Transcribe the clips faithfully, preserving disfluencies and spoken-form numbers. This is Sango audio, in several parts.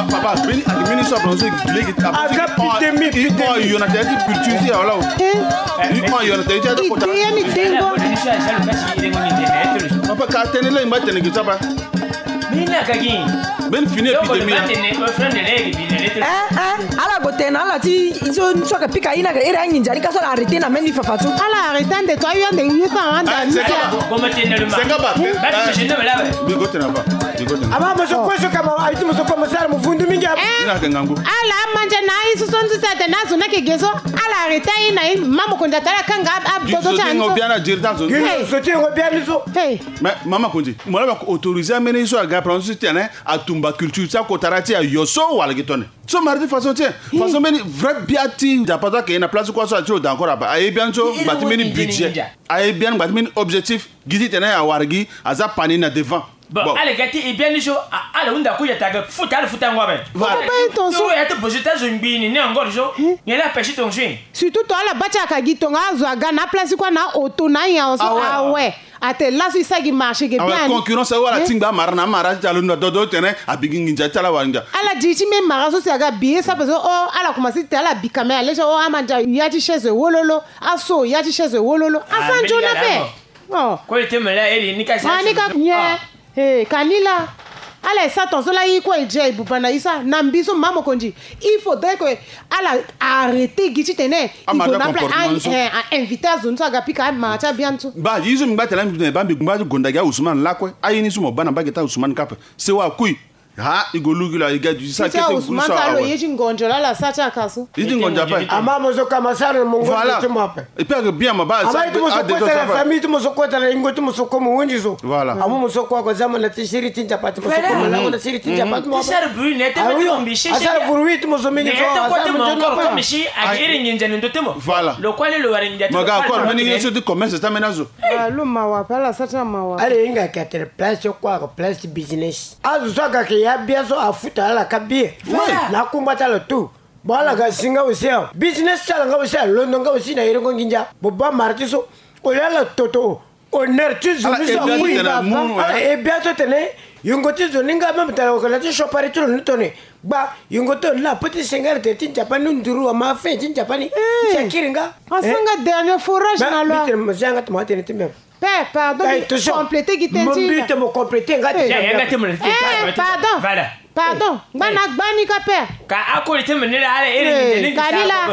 Papa, beni ati mini so, a bronze legi. Aga pitemi, pitemi. Yo na tene ti culture ti ya wala o. Yo na tene ti ya ti kota. Papa, ka tene le ngba tene gi saba. Beni fini épidémie. Eh, eh, ala gue tene na ala ti so, so ka pika ina ka ere anginza ni ka so ala arrêté na meni fafa tu. Ala arrêté ande to ayo ande yo sa anda ni sa. Senga ba. Bigo tena ba. Bigo tena. Ama mo so ko so ka ma, ayi ti mo so ko mo sara mo vundu mingi. Ina ke ngangu. Ala manja na ayi so so nzu sa tena zo na ke geso. Ala arrêté ayi na ayi, ma mo konda tala kanga ab dodo ta nzo. Gino so ti ngo biani so. Hey. Mais mama konzi, mo la ba autorisé amene so aga pranzo ti tene atumba culture ti akotara ti ayo so wala gi tone. So mara ti façon ti façon mbeni vrai bia ti Nzapa so ayeke na place kua so ati lo da encore aba. Aye biani so ngba ti mbeni budget. Aye biani ngba ti mbeni objectif. Gi ti tene awara gi aza pani na devant. Bon, ala ga ti e biani so, a- ala hunda ku ya ta ga futa, ala futa ngo abe. Voilà. Toro ya ti bosi ta zo ngbi ni ni angor so. Nyen la pesi tonso. Surtout to ala ba ti aka gi tonga azo aga na place kua na auto na anyan so awe. Ate laso e sara gi marché ge bien. Concurrence awe, ala tingba amara na amara ti alo na dodo tene abi gi nginza ti ala wara nginza. Ala di ti me mara so si aga bi ye saba so o ala commencé ti tene ala bi kamera lege o ama ndia ya ti chaise wololo. Aso ya ti chaise wololo. Asa nzoni ape. Oh. Koli ti mele eri ni ka si. Ah, ni ka nye. Eh, ka ni la. Ala e sa tonso la, i kue e dia e buba na i sa na mbi so mama mokonzi. Il faudrait que ala arrêter gi ti tene i gue na place a, a inviter azo ni so aga pika amara ti abiani so. Ba yi so mbi ngba tene mbi tene ba mbi ngba ti gonda gi a Ousmane lakue. Aye ni so mo ba na mbage ti a Ousmane kape. Sewa kui. Ha, i go lugi lo, i ga du sa kete Ousmane so awe. Ye ti ngonzo la la sa ti aka so. Ye ti ngonzo ape. Ama mo so ka ma sara na mo ngonzo ti mo ape. Et puis aga bien ma ba. Ama ye ti mo so kota na famille ti mo so kota na ingo ti mo so ko mo wenzi so. Voilà. Ama mo so ko ko zama na ti siri ti Nzapa ti mo so ko mo lango na siri ti Nzapa ti mo ape. Ti sara bruit ne te mo ti mo mbi sese. Asara bruit ti mo so mingi so. Ne te ko ti mo ngonzo ko mi si agi iri nginza ni ndo ti mo. Voilà. Lo kua ni lo wara nginza ti mo. Maga ko meni nginza ti commerce ti ameni azo. Ah, lo mawa ape, ala sa ti na mawa. Ala hinga ka tene place ti kua ko place ti business. Azo so aga ke ya bia so afuta ala ka bie. Voilà. Na akungba ti ala tout. Bon, ala ga si nga aussi a business ti ala nga aussi alondo nga aussi na yerengo nginza. Bo ba mara ti so. O le ala toto honneur ti zo ni so akui. Ala e bia so tene yongo ti zo ni nga même tala ko la ti chopari ti lo ni tone. Gba yongo ti lo ni la petit senga tene ti Nzapa ni nduru ama fin ti Nzapa ni. Ti akiri nga. Asanga dernier forage na lo. Mbi tene mo zia nga ti mo atene ti mem. Père, pardon, mbi compléter gi tënë ti. Mbi tene mo compléter nga ti. Eh, pardon. Voilà. Pardon. Ngba na gba ni ka, père. Ka akoli ti mene la ala ere ni ka ni la.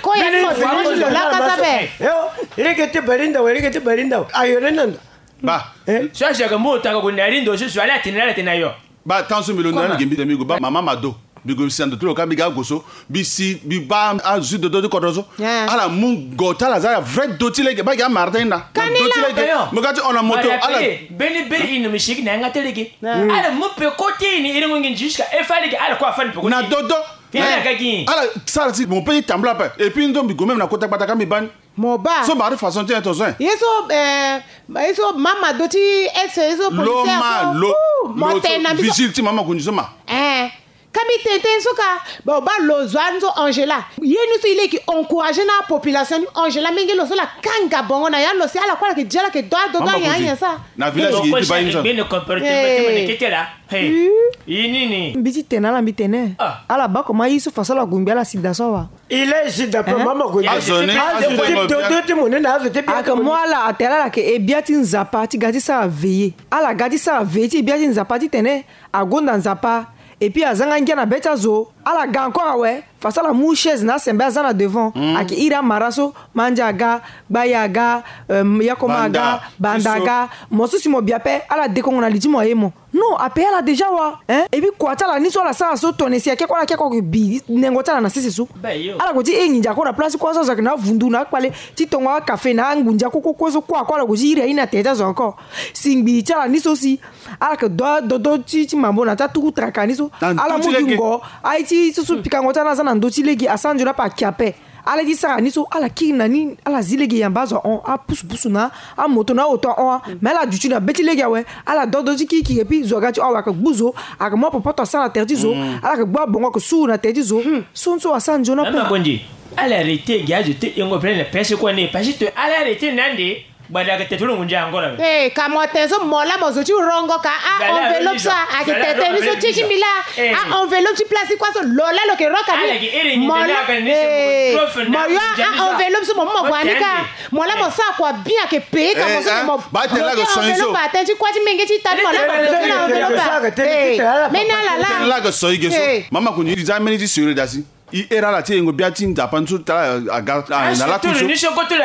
Ko ya ni mo fini lo la ka sa be. Yo, lege ti balinda we, lege ti balinda we. Ayo le nanda. Ba. So a jaga mo ta ko na rindo so so ala tene ala tene ayo. Ba tan so mbi londo na gembi de mbi go ba mama Mado. Mbi go si na ndo ti lo ka mbi ga go so. Mbi si mbi ba azo ti dodo ti kodro so. Ala mu ngo ti ala aza ya vrai do ti lege ba gi amara ti hinda. Na do ti lege. Mo ga ti hon na moto ala. Mbeni beri ino mi sigi na yanga ti lege. Ala mu peko ti ini iri ngongi jusqu'à efa lege ala kue afani peko. Na dodo. Ala sara si mo pe ti tambula ape. Et puis ndo mbi go même na kota gbata ka mbi bani. Mo ba. So mari façon ti tonso. Ye so, eh, ye so mama do ti ex, ye so policier so. Lo ma lo. Mo tene na mbi so. Vigile ti mama konzi so ma. Eh. Ka mbi tene tënë so ka. Bon, ba lo zo ani so Angela. Ye ni so e leke encourager na population ni Angela menge lo so la kanga bongo na ya lo si ala kue ala ke dia ala ke do ado do anya anya sa. Na village ki ti ba ye ni so. Bene comportement ti mene kete la. Hey. Ye nini? Mbi ti tene ala mbi tene. Ala ba comment ye so façon ala gungbi ala sida so awa. Il est ici d'après mama ko. Azo ni azo ti dodo ti mo ni na azo ti bia. Aka mo ala atene ala ke e bia ti Nzapa ti ga ti sara veiller. Ala ga ti sara veiller ti e bia ti Nzapa ti tene agonda Nzapa. Et puis aza nga ngia na be ti azo. Ala ga encore awe. Faso ala mu chaise na asembe aza na devant. Ayeke iri amara so, Mandia aga, Gbaye aga, euh, Yakoma aga, Banda aga. Mo so si mo bi ape ala dekongo na li ti mo aye mo. Non, ape ala déjà wa, hein? Et puis kua ti ala ni so ala sara so, tongana si ayeke kue ala ke kue bi nengo ti ala na sese so. Ala ko ti e nginza kue na place kue so azo ayeke na avundu na akpale ti tongo akafe na angunza kue kue kue so kue kue ala ko ti iri aye ni na tere ti azo encore. Si ngbii ti ala ni so si ala yeke do adodo ti ti mambo na ti atuku traka ni so. Ala mu gi ngo. Aye ti so so pikango ti ala ni aza na ndö ti lege, asanjo ni ape ayeke ape. Ala ye ti sara ni so ala kiri na ni, ala zi lege yamba azo ahon, apusupusu na amoto na aoto ahon. Mais ala duti na be ti lege awe. Ala do adodo ti kirikiri et puis zo aga ti hon awe ayeke gbu zo. Ayeke mu apopoto asara na tere ti zo. Ala yeke gbu abongo ayeke suru na tere ti zo. So ni so asanjo ni ape. Makonzi, ala arrêté gi azo ti yengo plein na pese kue ni parce que ala arrêté na ande. Gbada ayeke tete lo ngu ndia encore awe. Eh, ka mo tene so mo laa mo zo ti rongo ka a enveloppe so ayeke tete ni so ti ti mbi laa. A enveloppe ti place ti kua so lo laa lo yeke roka ni. Mo laa, eh, mo yo a enveloppe so mo mu mo gue ni ka. Mo laa mo sara kua bien ayeke paye ka mo so mo bloqué enveloppe atene ti kua ti menge ti ta ni mo laa mo bloqué na enveloppe. Eh, mbeni ala laa. Tene laa ayeke so i ge so. Mama koni i za mbeni ti sere da si. I here ala ti e yengo bia ti nzapa ni so tara aga na lakui so. Biso mbi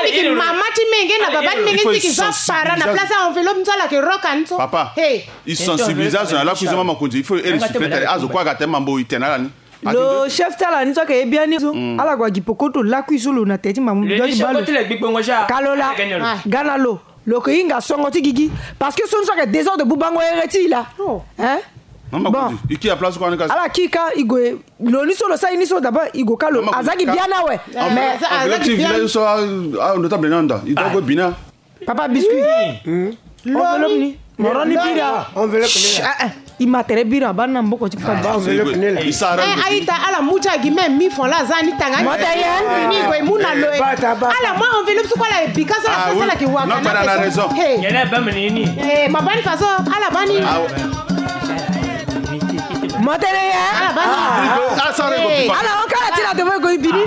yeke mama ti menge na baba ti menge ti yeke za para na place ya enveloppe ni so ala yeke roka ni so. Papa, i sensibiliser azo na lakui so mama konzi il faut i here sifle tene azo kue aga tene mambo i tene ala ni. Lo chef ti ala ni so ayeke ye biani so ala gue agi pokoto lakui so lo na tere ti mambo mbi doit ti baa lo. Ka lo laa, ga na lo. Lo yeke hinga songo ti gigi. Parce que so ni so ayeke désordre bubango here ti i laa. Hein? Bon. Ala kiri ka i gue. Lo ni so lo sara ye ni so d'abord i gue ka lo. Aza gi biani awe. Mais aza gi biani so. Notable ni anda i doit gue bina. Papa biscuit. Enveloppe ni. Moro ni bira. Enveloppe ni. I ma tere bira abaa na mboko ti fa. Enveloppe ni la. Aita ala mu ti agi même mille francs la aza ni tanga. Moto ye. Ni gue mu na lo e. Ala mu enveloppe so kue ala e bika so ala fo so ala ke waka na. He. Yene ba mini ni. Eh, ma bani faso ala bani. Motene ye. Ala bani. Ala o kala ti la devant ko ibini.